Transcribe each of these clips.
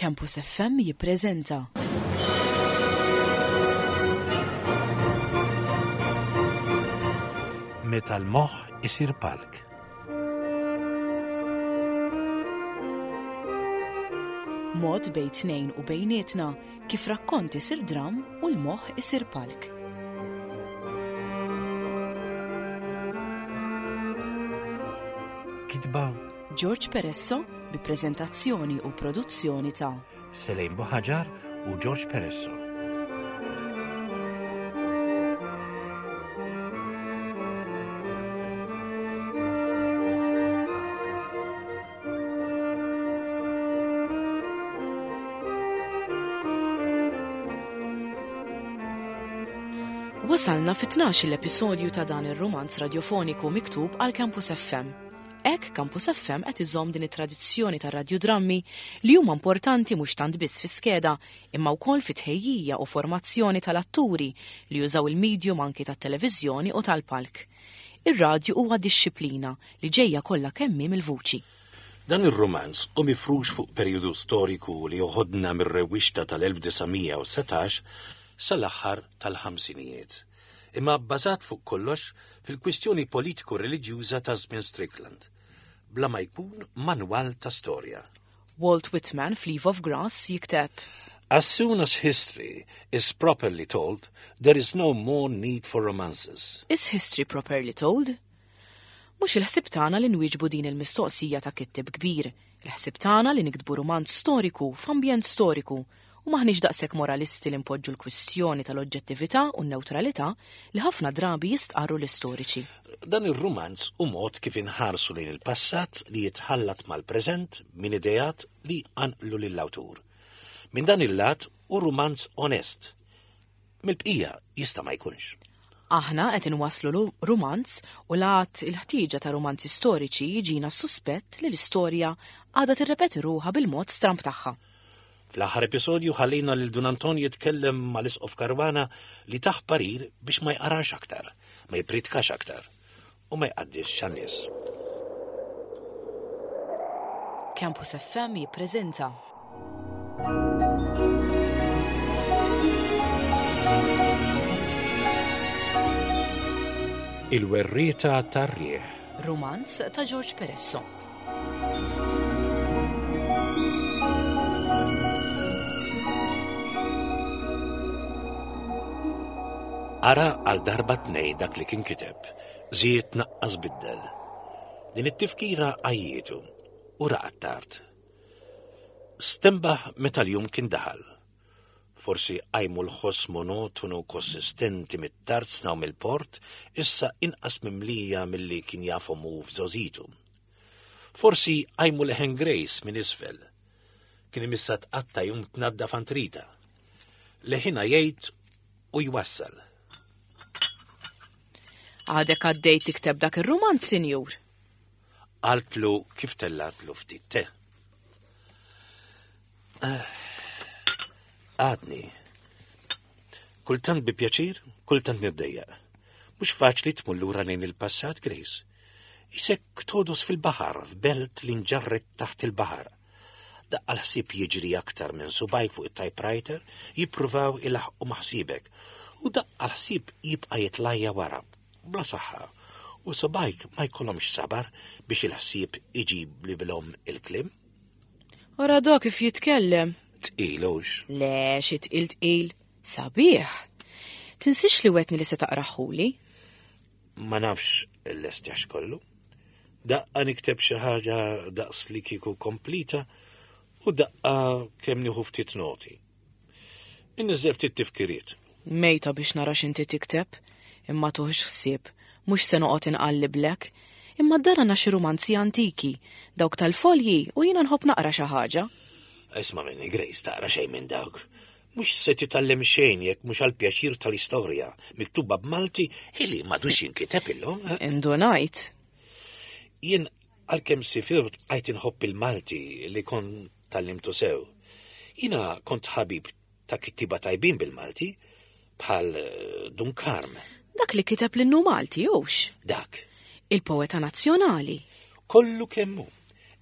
Campus FM jippreżenta. Meta l-moħħ isir palk. Mod bejn tnejn u bejnietna kif rakkont isir dramm u l-moħħ isir palk. Kitba George Peresso bi preżentazzjoni u produzzjoni ta' Selejn Buħaġar u George Peresso. Wasalna fit-12 l-episodju ta' dan ir-rumanz radjofoniku miktub għal Campus FM. Hekk Campus FM qed iżomm din it-tradizzjoni tar-radjudrammi li huma importanti mhux tant biss fi skeda imma wkoll fit-tħejjija u formazzjoni tal-atturi li jużaw il-medium anki tat-televiżjoni u tal-palk. Ir-radju huwa dixxiplina li ġejja kollha kemm hi mill-vuċi. Dan ir-rumanz hu mifrux fuq perijodu storiku li joħodna mir-rewwixta tal-1917 sal-aħħar tal-ħamsinijiet, imma bbażat fuq kollox fil-kwistjoni politiku-reliġjuża ta' żmien Strickland, bla ma jkun manwal ta' storja. Walt Whitman f'Leaf of Grass jikteb. As soon as history is properly told, there is no more need for romances. Is history properly told? Mhux il-ħsieb tagħna li nwieġbu din il-mistoqsija ta' kittieb kbir, il-ħsieb tagħna li niktbu rumanz storiku f'ambjent storiku u m'aħniex daqshekk moralisti li npoġġu l-kwistjoni tal-oġġettività u n-newtralità li ħafna drabi jistqarru l-istoriċi. Dan ir-rumanz hu mod kif inħarsu lejn il-passat li jitħallat mal-preżent minn ideat li jqanqlu lill-awtur. Minn dan il-lat hu rumanz onest. Mill-bqija jista' ma jkunx. Aħna qed inwasslu rumanz u l-għadd il-ħtieġa ta' rumanzi storiċi jiġina s-suspett li l-istorja għadha tirrepeti ruħha bil-mod stramb tagħha. Fl-aħħar episodju ħallejna lil Dun Anton jitkellem mal-Isqof Caruana li tah parir biex ma jqarax aktar, ma jippritkax aktar u ma jqaddisx għan-nies. Campus FM jippreżenta. Il-Werrieta tar-Riħ. Rumanz ta' George Peresso. Ara għal darba tnej dak li kien kiteb, żied naqqas biddel. Din it-tifkira għajjietu u raqad tard. Stenbaħ meta l-jum kien daħal. Forsi qajmu l-ħoss monotonu konsistenti mit-tarzna u mill-port, issa inqas mimlija milli kien jafhom hu f'żgħożitu. Forsi qajmu leħen Grace minn isfel. Kien imissha tqatta' jum tnaddaf għand Rita. Leħinha jgħid u jwassal. Għadek għaddej tikteb dak ir-rumanz, sinjur? Qaltlu kif tellatlu ftit te. Eh, għadni. Kultant bi pjaċir, kultant niddejjaq. Mhux faċli tmur lura lejn il-passat, Grace. Isek todos fil-baħar, f'belt li nġarret taħt il-baħar. Daqqa l-ħsieb jiġri aktar minn subajk fuq it-typewriter, jippruvaw ilaħqu maħsibek, u daqqa l-ħsieb jibqa' jitlajja wara, bla saħħa, u subajk ma jkollhomx sabar biex il-ħsieb iġib li bilhom il-kliem. Ara dak kif jitkellem. Tqil hux? Le, xi tqil tqil. Sabiħ. Tinsiex li wetni li se taqraħuli. Ma nafx l-estjax kollu. Daqqa nikteb xi ħaġa daqs li kieku komplita u daqqa kemm nieħu ftit noti. Inniżżel ftit tifkiriet. Mejta biex nara x'inti tikteb, imma tuħx ħsieb, mhux se noqgħod inqalliblek. Imma d-dar għandna xi rumanzi antiki, dawk tal-folji u jiena nħobb naqra xi ħaġa. Isma' minni Grace taqra xejn minn dawk. Mhux se titgħallem xejn jekk mhux għall-pjaċir tal-istorja, miktuba b'Malti illi m'għadux jinkiteb illum. Eh? Indunajt. Jien għalkemm sifirt bqajt inħobb il-Malti li kont tgħallimtu sew. Jiena kont ħabib ta' kittieba tajbin bil-Malti, bħal eh, Dun Karm. Dak li kiteb l-innu Malti, hux? Dak. Il-poeta nazzjonali. Kollu kemm hu.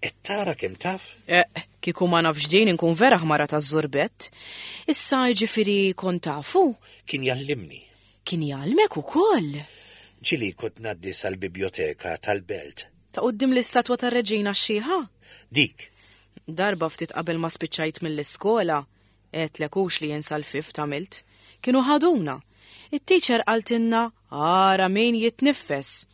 Qed tara kemm taf? Eh, kieku ma nafx din inkun vera ħmara ta' żurbett. Issa jiġifieri kont tafu? Kien jgħallimni. Kien jgħallmek ukoll? Ġieli kont ngħaddi sal-bibjoteka tal-belt. Ta' quddiem l-istatwa tar-Reġina x-Xiħa? Dik. Darba ftit qabel ma spiċċajt mill-iskola, għedtlek hux li jien sal-fifth għamilt, kienu ħaduna. It-teacher qaltilna ara min jitniffes.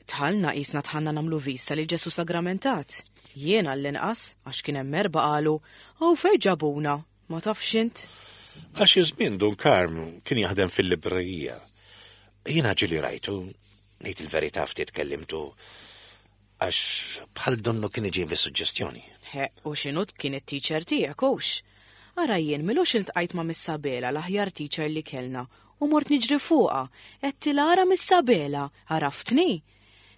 Dħalna qisna dħalna nagħmlu vista lil Ġesù Sagramentat. Jien għall-inqas, għax kien hemm erbgħa qalu, Hawn fejn ġabuna? Ma tafx int? Għal xi żmien Dun Karm kien jaħdem fil-librerija. Jiena ġieli rajtu, ngħid il-verità ftit kellimtu, għax bħal donnu kien iġibli suġġestjoni. He, u x'inhu kien it-teacher tiegħek hux? Ara jien milux iltqajt ma' Miss Abela l-aħjar teacher li kellna u mort niġri fuqha, għedtilha ara Miss Abela, għaraftni?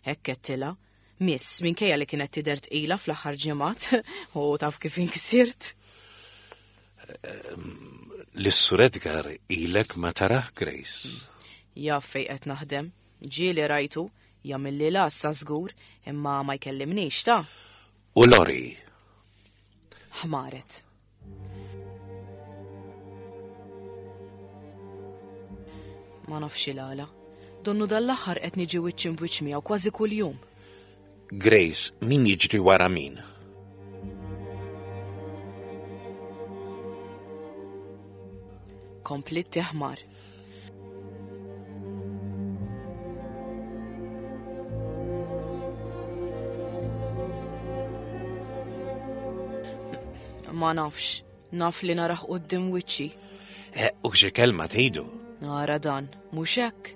Hekk għedtilha. Miss, minkejja li kienet tidher tqila fl-aħħar ġimgħat, u taf kif inksirt. Lis-Sur Edgar ilek ma tarah, Grace. Jaf fejn qed naħdem. Ġieli rajtu, jagħmilli l-għassa żgur, imma ma jkellimnix ta'. U Lori? Ħmaret. Ma nafx il-għala. Donnu dal-aħħar qed niġi wiċċ imbwiċċ miegħu kważi kuljum. Grace, min jiġri wara min? Komplit teħmar. Ma nafx, naf li naraħ qudiem wiċċi. Eh, u xi kelma tgħidu? Nara dan, mhux hekk.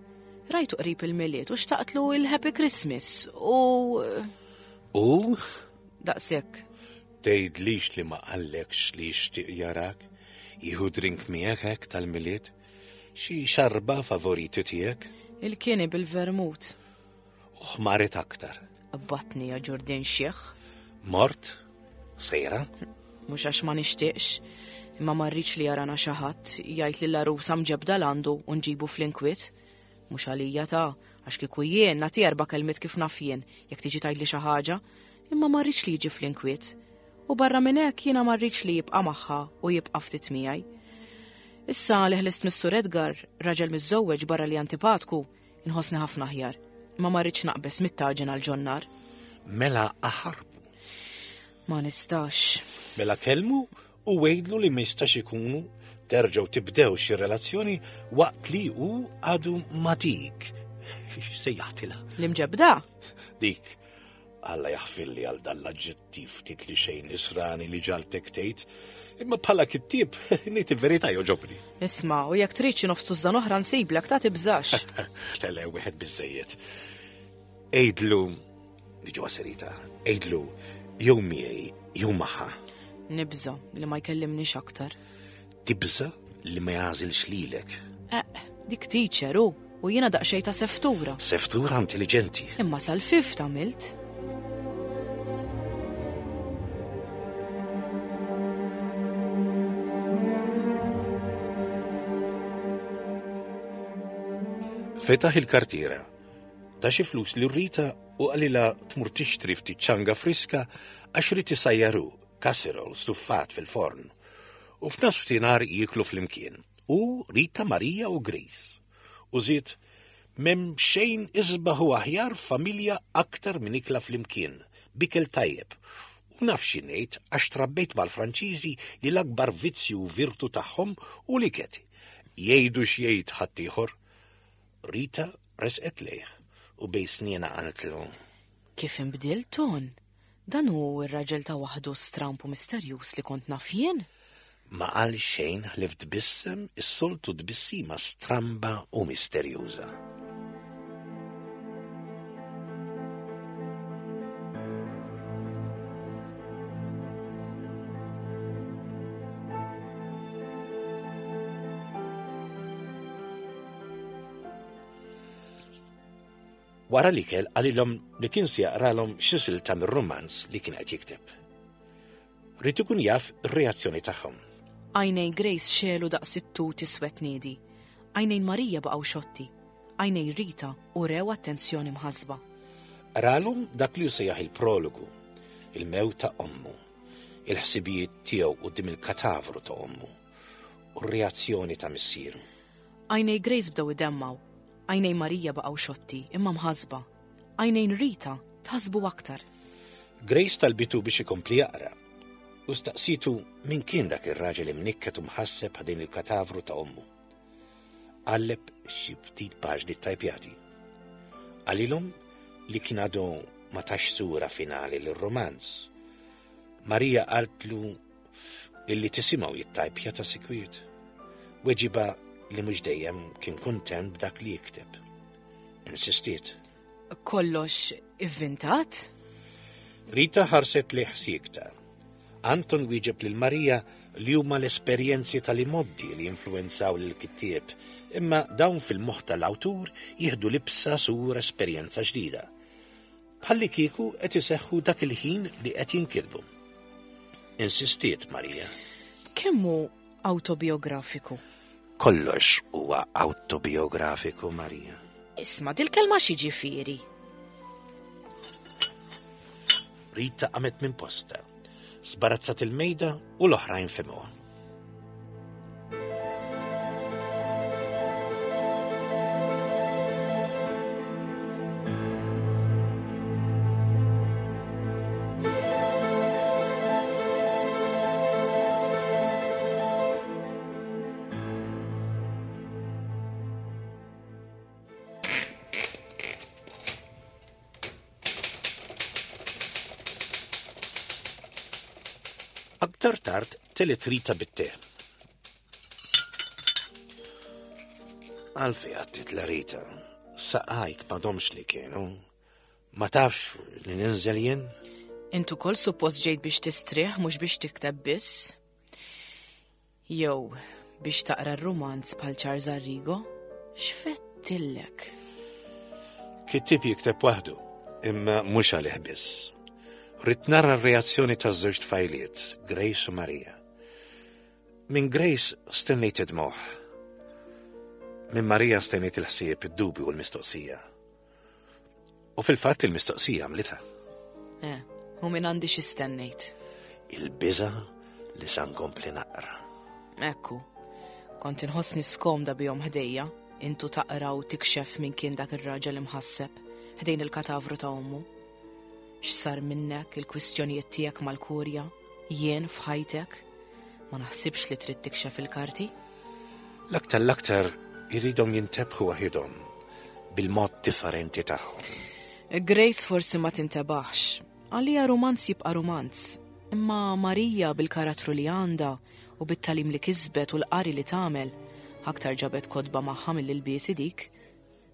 Rajtu qrib il-Milied u xtaqtlu il-Happy Christmas u. U? Daqshekk. Tgħidlix li ma qallekx li jixtieq jarak, jieħu drink miegħek hekk tal-Milied? Xi xarba favoriti tiegħek? Il-kieni bil-vermut. U ħmaret aktar. Batni ja ġurdin xiħ. Mort? Sejra? Mhux għax ma nixtieqx, imma ma rridx li jarana xi ħadd jgħid li l-għarusa mġebda l-għandu u nġibu fl-inkwiet. Mhux għalija ta' għax kieku jien nagħti erba' kelmiet kif naf jien jekk tiġi tgħidli xi ħaġa, imma ma rridx li jiġi fl-inkwiet. U barra minn hekk jiena ma rridx li jibqa' magħha u jibqa' ftit miegħi. Issa li ħlist mis-Sur Edgar, raġel miżżewweġ barra li antipatku, inħossni ħafna aħjar. Imma ma rridx naqbeż mit-taġen għal ġonnar. Mela aħarbu. Ma nistax. Mela kellmu u għidlu li ma jistax ikunu terġgħu tibdew xi relazzjoni waqt li hu għadu ma dik. Sejjaħtilha. L-imġebda? Dik. Alla jaħfirli għal dan l-aġġettiv ftit li xejn nisrani li ġaltek tgħid, imma bħala kittieb ngħid il-verità joġobni. Isma' u jekk trid xi nofs tużżan oħra nsiblek ta' tibżax. Le le wieħed biżejjed. Għidlu, niġu għas-serita, għidlu jew miegħi jew magħha. Nibża' li ma jkellimnix aktar. Tibża' li ma jagħżilx lilek. Eh, dik teacher hu, u jiena daqsxejn ta' seftura. Seftura intelligenti. Imma sal-fifth għamilt. Fetaħ il-kartiera, ta xi flus lil Rita u qalilha tmur tixtri ftit ċanga friska għax ried isajjar hu casserole stuffat fil-forn. U f'nofsinhar jieklu flimkien. Hu, Rita, Marija u Grace. U żied, M'hemm xejn isbaħ u aħjar f'familja aktar minn ikla flimkien, b'ikel tajjeb. U naf xi ngħid għax trabbejt mal-Franċiżi li l-akbar vizzju u virtu tagħhom hu l-iket. Jgħidu x'jgħid ħaddieħor. Rita resqet lejh u bejn snienha qaltlu. Kif inbdilt, Ton? Dan hu r-raġel ta' waħdu stramb u misterjuż li kont naf jien? Ma qal xejn ħlief tbissem is-soltu tbissima stramba u misterjuża. Wara l-ikel qalilhom li kien se jaqralhom xi silta mir-rumanz li kien qed jikteb. Ried ikun jaf ir-reazzjoni tagħhom. Għajnejn Grace xegħlu daqs it-tut iswed niedi. Għajnejn Marija baqgħu xotti. Għajnejn Rita urew attenzjoni mħassba. Qralhom dak li hu sejjaħ il-prologu. Il-mewt ta' ommu, il-ħsibijiet tiegħu quddiem il-katavru ta' ommu u r-reazzjoni ta' missieru. Għajnej Grace bdew idemmgħu. Għajnej Marija baqgħu xotti imma mħassba. Għajnejn Rita tħassbu aktar. Grace talbitu biex ikompli jaqra u staqsitu min kien dak ir-raġel imnikket u mħasseb ħdejn il-katavru ta' ommu. Qalleb xi ftit paġni ttajpjati. Qalilhom li kien għadu ma tax sura finali lir-rumanz. Marija qaltlu illi tisimgħu jittajpja ta' sikwit. Weġiba li mhux dejjem kien kuntent b'dak li jikteb. Insistiet. Kollox ivvintat? Rita ħarset lejh siekta. Anton wieġeb lil Marija li huma l-esperjenzi tal-imgħoddi li jinfluwenzaw lill-kittieb, imma dawn fil-moħħ tal-awtur jieħdu libsa sura esperjenza ġdida. Bħallikieku qed iseħħu dak il-ħin li qed jinkitbu. Insistiet Marija. Kemm hu awtobiografiku? Kollox huwa awtobiografiku, Marija. Isma' dil-kelma x'jiġifieri? Rita qamet minn postha, sbarazzat il-mejda u l-oħrajn fehmuha. Aktar tard telet Rita bit-te. Għalfej għattit la Rita, saqajk m'għadhomx li kienu. Ma tafx li ninżel jien? Int ukoll suppost ġejt biex tistrieħ mhux biex tikteb biss. Jew biex taqra r-rumanz bħal Charles Arrigo? X'fettillek? Kittieb jikteb waħdu, imma mhux għalih biss. Ridt nara r-reazzjoni taż-żewġ tfajliet, Grace u Maria. Minn Grace stennejt id-dmugħ. Minn Maria stennejt il-ħsieb, id-dubju u l-mistoqsija. U fil-fatt il-mistoqsija għamlitha. Eh, u minn għandi xi stennejt. Il-biża li sa nkompli naqra. Ekku, kont inħossni skomda bihom ħdejja, intu taqra u tikxef minn kien dak ir-raġel imħasseb ħdejn il-katavru ta' ommu. X'sar minnek il-kwistjonijiet tiegħek mal-kurja, jien f'ħajtek? Ma naħsibx li trid tikxef il-karti. L-aktar l-aktar irridhom jintebħu waħidhom bil-mod differenti tagħhom. Grace forsi ma tintebaħx. Għalija rumanz jibqa' rumanz. Imma Marija bil-karattru li għandha u bit-talim li kisbet u l-qari li tagħmel, aktar ġabet kotba magħha mill-ilbiesi dik,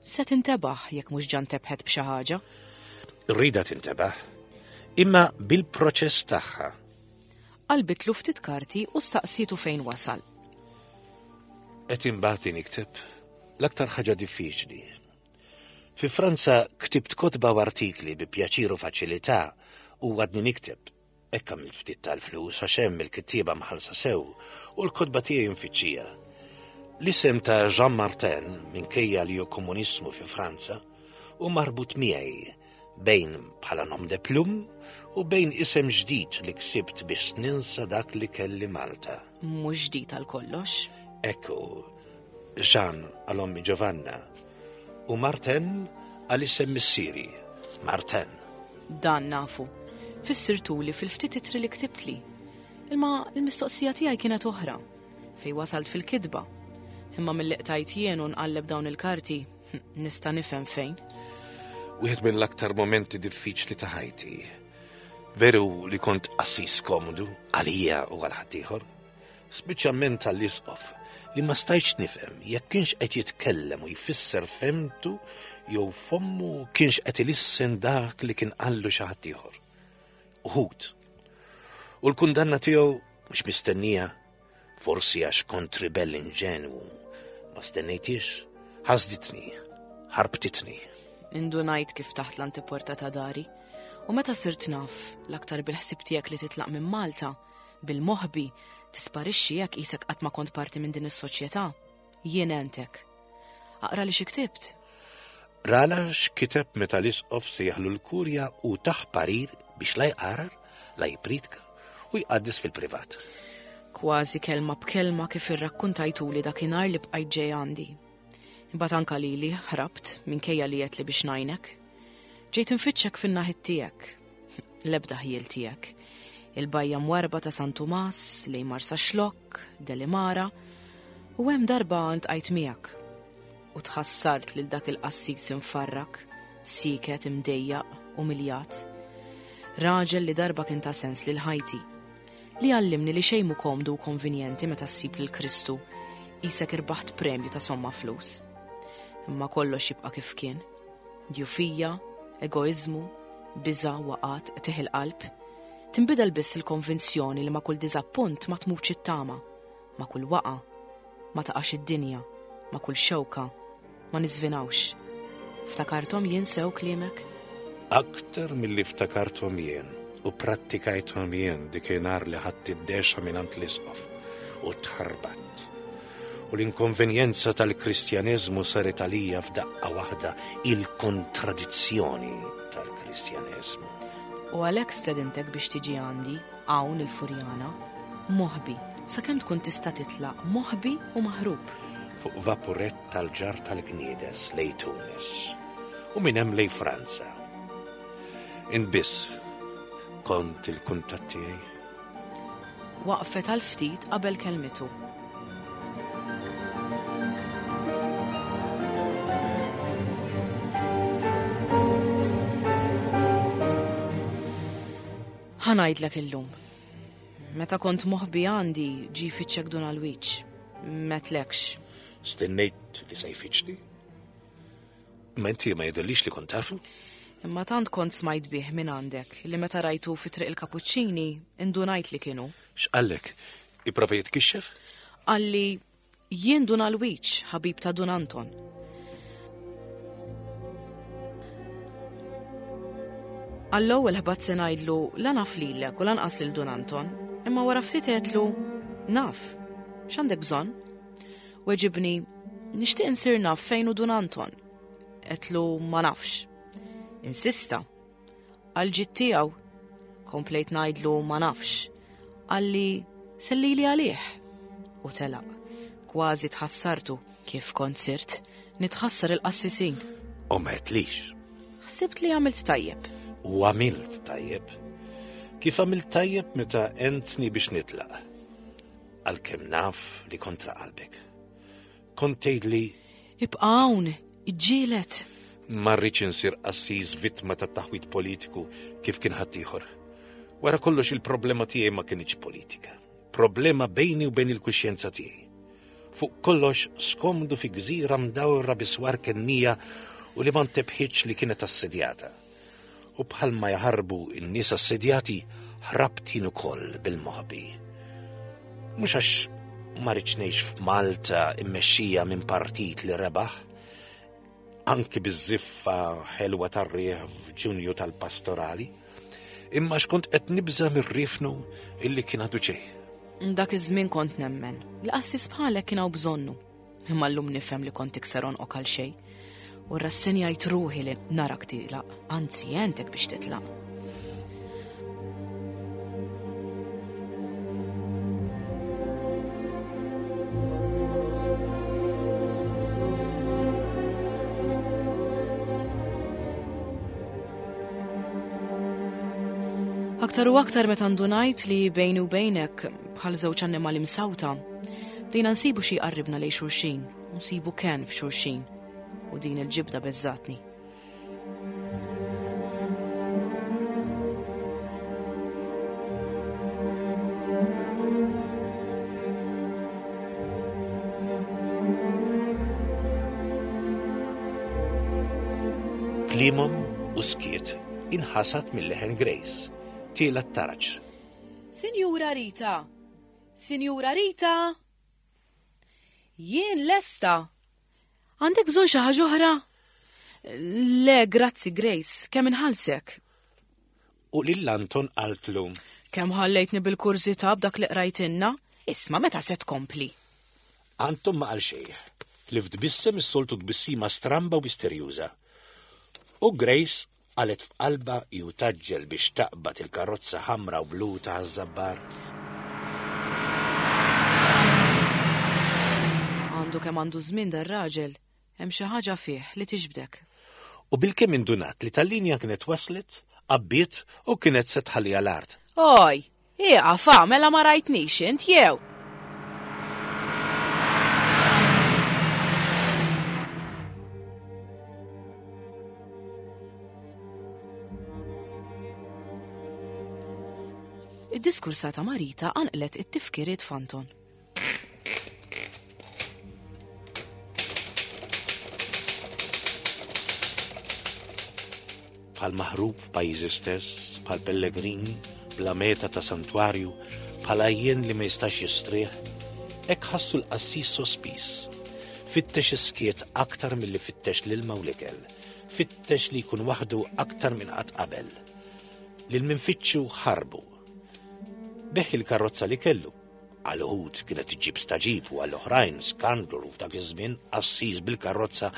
Se tintebaħ jekk mhux ġa ntebħet b'xi ħaġa. Rridha tintebaħ, imma bil-proċess tagħha. Qalbitlu ftit karti u staqsietu fejn wasal. Qed imbagħad nikteb l-aktar ħaġa diffiċli. Fi Franza ktibt kotba u artikli bi pjaċir u faċilità u għadni nikteb. Hekk għamilt ftit tal-flus għax hemm il-kittieba mħallsa sew u l-kotba tiegħi mfittxija. L-isem ta' Jean Martin, minkejja li hu komunismu fi Franza, hu marbut miegħi bejn bħala nom de plume u bejn isem ġdid li ksibt biex ninsa dak li kelli Malta. Mhux ġdid għal kollox. Ekku, Jean għal ommi Giovanna u Martin għal isem missieri, Martin. Dan nafu. Fissirtuli fil-ftit ittri li ktibtli. Imma l-mistoqsija tiegħi kienet oħra, fej wasalt fil-kitba. Imma mill-li qtajt jien u nqalleb dawn il-karti, nista' nifhem fejn. Wieħed mill-aktar momenti diffiċli ta' ħajti. Veru li kont qassis komodu għalija u għal ħaddieħor. Speċjalment għall-Isqof, li ma stajtx nifhem jekk kienx qed jitkellem u jfisser fehmtu jew fommu kienx qed ilissen dak li kien qallu xi ħadd ieħor. Uħud. U l-kundanna tiegħu mhux mistennija, forsi għax kont ribell inġenwu, ma stennejtix, ħasditni, ħarbtitni. Indunajt kif taħt l-antiporta ta' dari, u meta sirt naf, l-aktar bil-ħsieb tiegħek li titlaq minn Malta, Bil-moħbi, tisparixxi hekk qisek qatt ma kont parti minn din is-soċjetà. Jien għentek. Aqra li xi ktibt. Rala x'kiteb meta l-isqof sejjaħlu l-kurja u tah parir biex la jqarar, la jippriedka u jqaddes fil-privat. Kważi kelma b'kelma kif irrakkuntajtuli dakinhar li bqajt ġej għandi. Imbagħad anka lili ħrabt minkejja li għedtli biex ngħinek. Ġejt infittxek fin-naħit tiegħek. L-ebda ħjiel tiegħek. Il-bajja mwarba ta' San Tumas, lejn Marsaxlokk, Delimara, u hemm darba ltqajt miegħek. U tħassart lil dak il-qassis imfarrak, sieket, imdejjaq, umiljat. Raġel li darba kien ta' sens lil ħajti. Li għallimni li xejn mhu komdu u konvinjenti meta ssib lil Kristu, qisek irbaħt premju ta' somma flus. Imma kollox jibqa' kif kien. Djufija, egoiżmu, biża', waqgħat, qtigħ il-qalb. Tinbidel biss il-konvinzjoni li ma' kull diżappunt ma tmutx it-tama, ma' kull waqgħa ma taqax id-dinja, ma' kull xewka ma niżvinawx. Ftakarthom jien sew kliemek? Aktar milli ftakarthom jien u prattikajthom jien dikinhar li ħadt id-dexa mingħand l-isqof u tħarbatt. U l-inkonvenjenza tal-Kristjaneżmu saret għalija f'daqqa waħda il-kontradizzjoni tal-Kristjaneżmu. U għalhekk stedintek biex tiġi għandi hawn il-Furjana, moħbi, sakemm tkun tista' titlaq moħbi u maħrub. Fuq vapurett tal-ġarr tal-Gniedes lejn Tunis u minn hemm lejn Franza. Int biss kont il-kuntatt tiegħi. Waqfet għal ftit qabel kellmitu. Ħa ngħidlek illum. Meta kont moħbi għandi ġie jfittxek Dun Alwiġ. M'għedtlekx. Stennejt li se jfittxni. Imma inti ma jidhirlix li kont tafu. Imma tant kont smajt bih minn għandek li meta rajtu fi Triq il-Kapuċċini indunajt li kien hu. X'qallek? Ipprova jitkixxef? Qalli Jien Dun Alwiġ, ħabib ta' Dun Anton. Għall-ewwel ħbatt se ngħidlu la naf lilek u lanqas lil Dun Anton, imma wara ftit għedtlu naf. X'għandek bżonn? Weġibni, nixtieq insir naf fejn hu Dun Anton. Għedtlu ma nafx. Insista. Għall-ġid tiegħu. Komplejt ngħidlu ma nafx. Qalli sellili għalih. U telaq. Kważi tħassartu kif kont sirt nitħassar il-qassisin. U ma għedtlix. Ħsibt li għamilt tajjeb. U għamilt tajjeb. Kif għamilt tajjeb meta għentni biex nitlaq. Għalkemm naf li kontra qalbek. Kont tgħidli. Ibqa' hawn, iġġieled. Ma rridx insir qassis vittma ta' taħwid politiku kif kien ħaddieħor. Wara kollox il-problema tiegħi ma kinitx politika. Problema bejni u bejn il-kuxjenza tiegħi. Fuq kollox skomdu fi gżira mdawra bi swar kennija u li ma ntebħitx li kienet assedjata. U bħalma jaħarbu n-nies assedjati, ħrabt jien ukoll bil-moħbi. Mhux għax ma rridx ngħix f'Malta immexxija minn partit li rebaħ, anki biż-żiffa ħelwa tar-riħ f'Ġunju tal-pastorali, imma x'kont qed nibża' mir-riefnu illi kien għadu ġej. Dak iż-żmien kont nemmen li qassis bħalek kien hawn bżonnu. Imma llum nifhem li kont tikser għonqok għal xejn. U rrassenjajt ruħi li narak tilaq, anzi għentek biex titlaq. Aktar u aktar meta ndunajt li bejni u bejnek bħal żewġ annimali msawta, bdejna nsibu xi jqarribna lejn xulxin, u nsibu kenn f'xulxin, u din il-ġibda beżżatni. Kliemhom u skiet inħasad mill-leħen Grace, tiela t-taraġ. Sinjura Rita! Sinjura Rita! Jien lesta! Għandek bżonn xi ħaġa oħra? Le, grazzi Grace, kemm inħallsek? U lil Anton qaltlu. Kemm ħallejtni bil-kurżità b'dak li qrajtilna? Isma' meta se tkompli? Anton ma qal xejn, ħlief tbissem is-soltu tbissima stramba u misterjuża. U Grace. Qalet f'qalbha hi u tgħaġġel biex taqbad il-karozza ħamra u blu ta' Ħaż-Żabbar. Għandu kemm għandu żmien dar-raġel, hemm xi ħaġa fih li tiġbdek. U bilkemm indunat li tal-linja kienet waslet, għabbiet u kienet se tħalliha l-art. Oj! Ieqaf, ah, mela ma rajtnix int jew? Id-diskursata Marita qanqlet it-tifkiriet f'Anton. Bħal maħrub f'pajjiżi stess, bħal pellegrin bla meta ta' santwarju, bħal għajjien li ma jistax jistrieħ, hekk ħassu l-qassis sospiż. Fittex is-skiet aktar milli fittex l-ilma u l-ikel, fittex li jkun waħdu aktar minn qatt qabel. Lil min fittxu ħarbu. Beħ il-karozza li kellu, Għal uħud kienet iġġib staġib u għal oħrajn skandlu f'dak iż-żmien qassis bil-karozza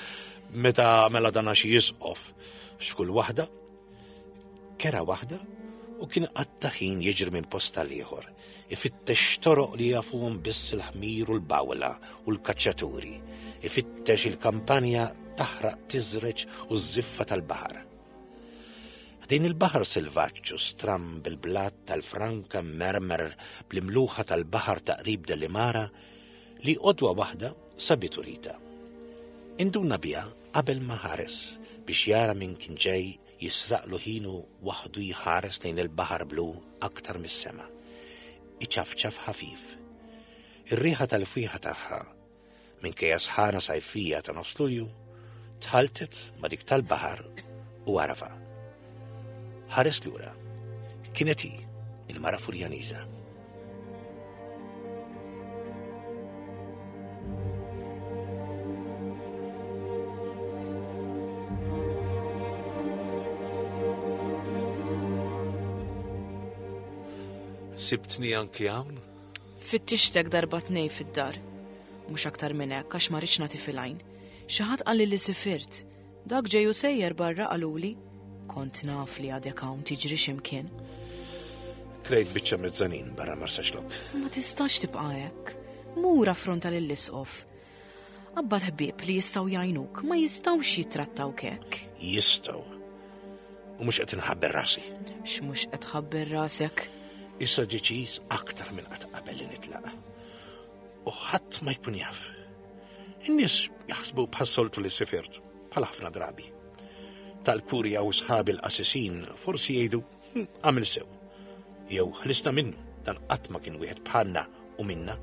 meta mela dana xi jisqof x'kull waħda. Kera waħda u kien qatta ħin jiġri minn post għal ieħor, ifittex toroq li jafuhom biss il-ħmir u l-bawla u l-kaċċaturi, ifittex il-kampanja taħraq tiżreġ u ż-żiffa tal-baħar. Ħdejn il-baħar selvaġġ u stramb bil-blat tal-franka mmermer bl-imluħa tal-baħar ta' qrib Delimara li għodwa waħda sabitu Rita. Induna biha qabel ma ħares biex jara min kien ġej jisraqlu ħinu waħdu jħares lejn il-baħar blu aktar mis-sema. Iċafċaf ħafif. Ir-riħa tal-fwieħa tagħha Minkejja sħana sajfija ta' nofs Lulju, tħalltet ma' dik tal-baħar u għarafha. Ħares lura. Kienet hi, il-mara Furjaniża. Sibtni anki hawn? Fittixtek darba tnej fid-dar. Mhux aktar minn hekk għax ma rridx nagħti fil-għajn. Xi ħadd qalli li sifirt. Dak ġej u sejjer barra qaluli. Kont naf li għadek hawn tiġri x'imkien. Krejt biċċa mezzanin barra Marsaxlokk. Ma tistax tibqa' hekk. Mur affronta lill-isqof. Qabbad ħbieb li jistgħu jgħinuk, ma jistgħux jittrattawk hekk. Jistgħu. U mhux qed inħabber rasi. X'mhux qed tħabber rasek? Issa deċiż aktar minn qatt qabel li nitlaq. U ħadd ma jkun jaf. In-nies jaħsbu bħas-soltu li sifirt, bħal ħafna drabi. Tal-kurja u sħabi l-qasisin forsi jgħidu hm, għamil sew. Jew ħlisna minnu, dan qatt ma kien wieħed bħalna u minna.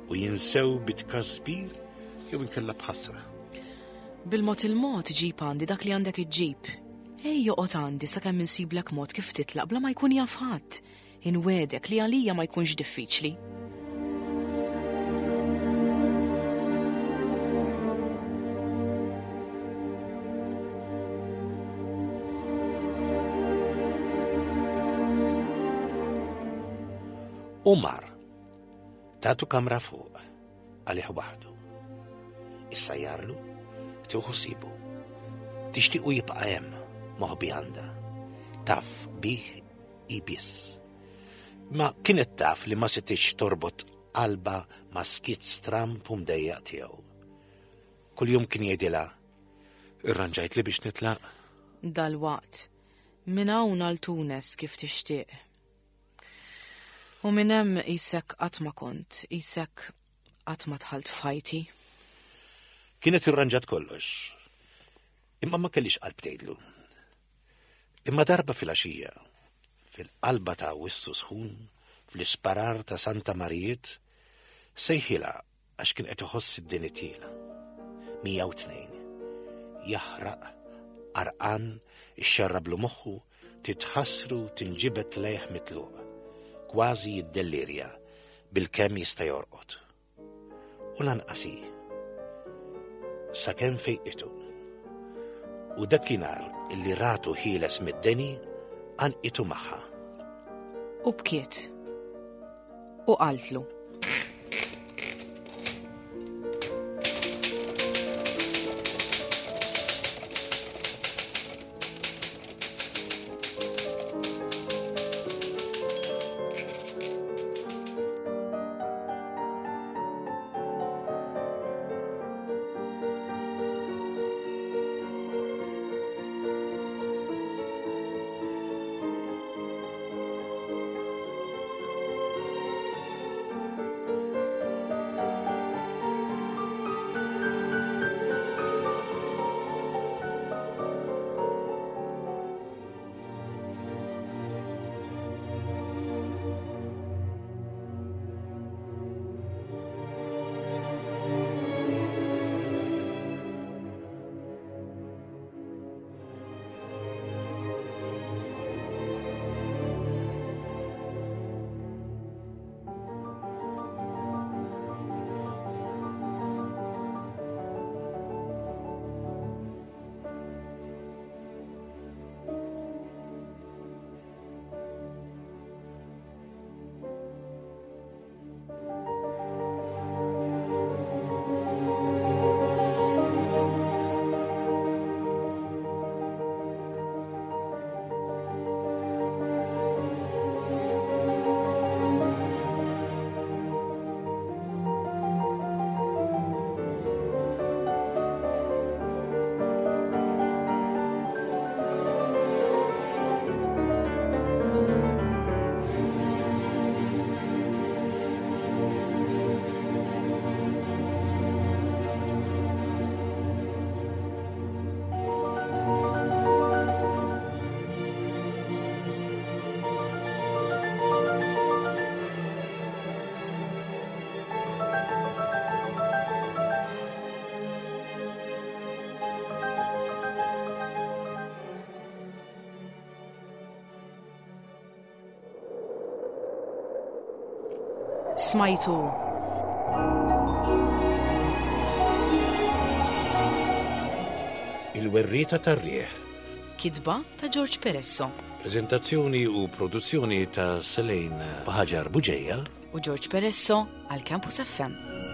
U jinsew bit-tkasbir jew inkella b'ħasra. Bil-mod il-mod ġib għandi dak li għandek iġġib. Ej joqgħod għandi sakemm insiblek mod kif titlaq bla ma jkun jaf ħadd. Inwegħdek li għalija ma jkunx diffiċli. U mar. Tatu kamra fuq, għalih waħdu. Issa jarlu, tieħu sibu. Tixtiequ jibqa' hemm, moħbi għandha. Taf bih hi biss. Ma kienet taf li ma setgħetx torbot qalbha ma' skiet stramb u mdejjaq tiegħu. Kuljum kien jgħidilha, Irranġajt li biex nitlaq? Dalwaqt. Minn hawn għal Tunes kif tixtieq. U minn hemm qisek qatt ma kont, qisek qatt ma dħalt f'ħajti. Kienet irranġat kollox. Imma ma kellix qalb tgħidlu. Imma darba filgħaxija, fil-qalba ta' Awwissu sħun, fl-isparar ta' Santa Marijiet, sejħilha għax kien qed iħoss id-deni tiela. 102. Jaħraq, għarqan, ixxarrablu moħħu, titħassru tinġibed lejh mitluq. Kważi jiddellirja, bilkemm jista' jorqod. U lanqas hi. Sakemm fejqitu. U dakinhar illi ratu ħieles mid-deni, għanqitu magħha. U bkiet. U qaltlu. Smajtu Il-werrieta tar-riħ. Kitba ta' George Peresso. Prezentazzjoni u produzzjoni ta' Selene Ħaġar Buġeja u George Peresso għal Campus FM.